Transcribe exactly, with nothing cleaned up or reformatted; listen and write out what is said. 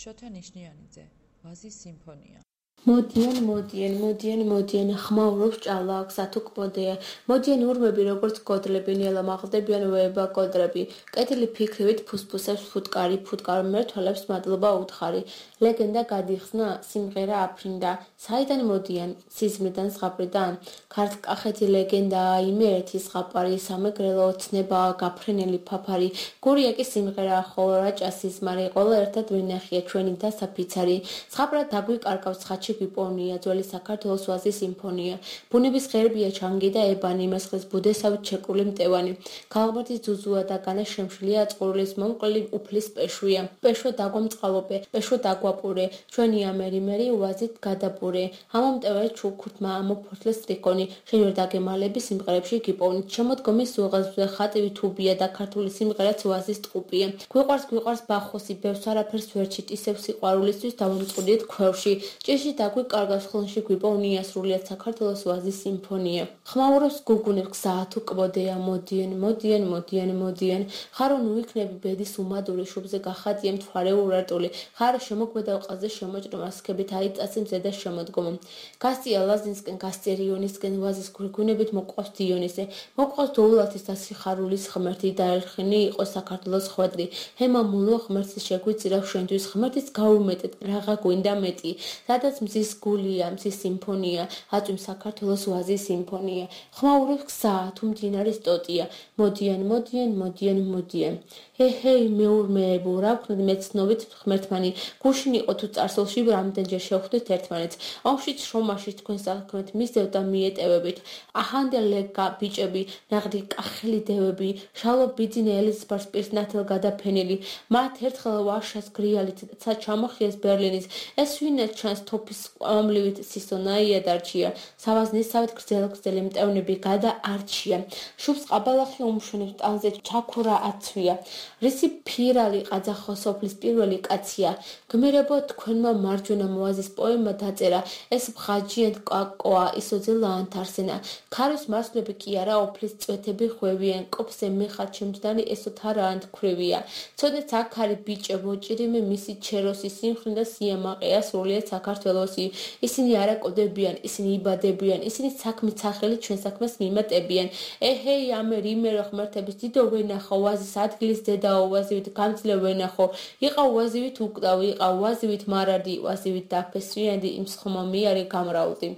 შოთა ნიშნიანიძე, ვაზის სიმფონია. მოდიან, მოდიან, მოდიან, მოდიან, ხმაურობს ჭალა აქვს ათუკბოდეა. მოდიან ურმები როგორც გოდლები, ნელა მაღლდებიან ვეება კოდრები. კეთილი ფიქრივით ფუსფუსებს ფუტკარი, ფუტკარ მერთვალებს მადლობა უთხარი. ლეგენდა გადიხსნა, სიმღერა აფრინდა. საიდან მოდიან? სიზმრიდან ზღაპრიდან. ქართლ-კახეთი ლეგენდაა, იმე ერთი ზღაპარი, სამეგრელო ოცნება, გაფრენელი ფაფარი. გურია კი სიმღერაა, ხოლო რაჭა სიზმარი, ყველა ერთად ვინახია ჩვენი და საფიცარი. ზღაპრად დაგვიკარგავს ხაჩი გვიპოვნია, ძველი საქართველოს ვაზის სიმფონია. ბუნების ღერბია ჩანგი და ებანი, მესხლის ბუდესავით შეკრული მტევანი. ქალღმერთის ძუძუა და განა შემშლია, წყურვილის მომკლი უფლის პეშვია. პეშვა დაგვამწყალობე, პეშვა დაგვაპურე, ჩვენი ამერი-მერი ვაზით გადაპურე. ამომტევე ჩუქურთმა, ამოფოთლეს ტრიკონი, შენ ვერ დაგემალები სიმღერებში გიპოვნით. შემოდგომის უღელსზე ხატივი თუბია და ქართული სიმღერაც ვაზის ტყუპია. გვიყვარს, გვიყვარს ბახოსი, ბევრს არაფერს ვერჩით, ისევ სიყვარულისთვის დავამწყურდით ქვევში. ჭიში დაგვიკარგავს ხლონში გვიპოვნია სრულიად საქართველოს ვაზის სიმფონია. ხმაურობს გუგუნებს გზა თუ კბოდეა, მოდიან, მოდიან, მოდიან, მოდიან. ხარო ნუ იქნები ბედის უმადური, შუბზე გახატია მთვარე ურარტული. ხარო შემოგვედავ ყაზე შემოჭრ მასქებით აიწასე მზედა შემოდგომა. გასწია ლაზინსკენ, გასწერიონისკენ, ვაზის გვირგვინებით მოყვავს დიონისე. მოყვავს დოულათის და სიხარულის ღმერთი, დაერხინი იყო საქართველოს ხვედრი. ჰემა მულო ღმერთს შეგვიწირავ შენთვის, ღმერთის გაუმეტეთ, რაღა გვინდა მეტი. სადაც მზის გულია, მზის სიმფონია, აწვიმ საქართველოს ვაზის სიმფონია. ხმაურობს გზა, თუ მდინარის ტოტია. მოდიან, მოდიან, მოდიან, მოდიან. ჰე-ჰეი, მეურმეებო, რა ვქნათ მეცნობით ღმერთმანი, გუშინ იყო თუ წარსულში რამდენჯერ შევხვდით ერთმანეთს. ომშიც, შრომაშიც თქვენ საქმეთ მისდევ და მიეტევებით. აჰანდე ლეგა ბიჭები, ნაღდი კახელი დევები, შალო ბიძინე ელიზბარს პირს ნათელ გადაფენილი. მათ ერთხელ ვარშას გრიალით, ცა ჩამოხიეს ბერლინის. ეს ვინა ჩანს თოფის ყვამლივით სისონაია დარჩია. სავაზნისავით გრძელ-გრძელი მტევნები გადაარჩია. შუბს ყაბალახი უმშვენებს ტანზე ჩაქურა აცვია. რისი ფირალი ყაძახო სოფლის პირველი კაცია. გმირებო თქვენმა მარჯვენა მოაზის პოემა დაწერა. ეს ბღაჯიან კაკოა, ისოძე ლაანთარსენა. ქარის მასვლები კი არა, ოფლის წვეთები ხვევიან. კოფზე მეხარ ჩემჯდანი ესოთ არა ანთქვრივია. ცოდნეთ აქ არის ბიჭებო, ჭირიმე მისი ჩეროსი, სიმხრინდა სიამაყეა სრულიად საქართველოსი. ისინი არ აკოდებიან, ისინი იბადებიან, ისინი საქმით სახელი ჩვენ საქმეს მიმატებიან. ეჰეი, ამერ იმერ ღმერთების დიდო ვენახო, ვაზის ადგილის დედაო, ვაზივით გამძლე ვენახო. იყავ ვაზივით უკვდავი, იყავ ვაზივით მარადი, ვაზივით დაფესვიანდი, იმ სხმა მიარი გამრავლდი.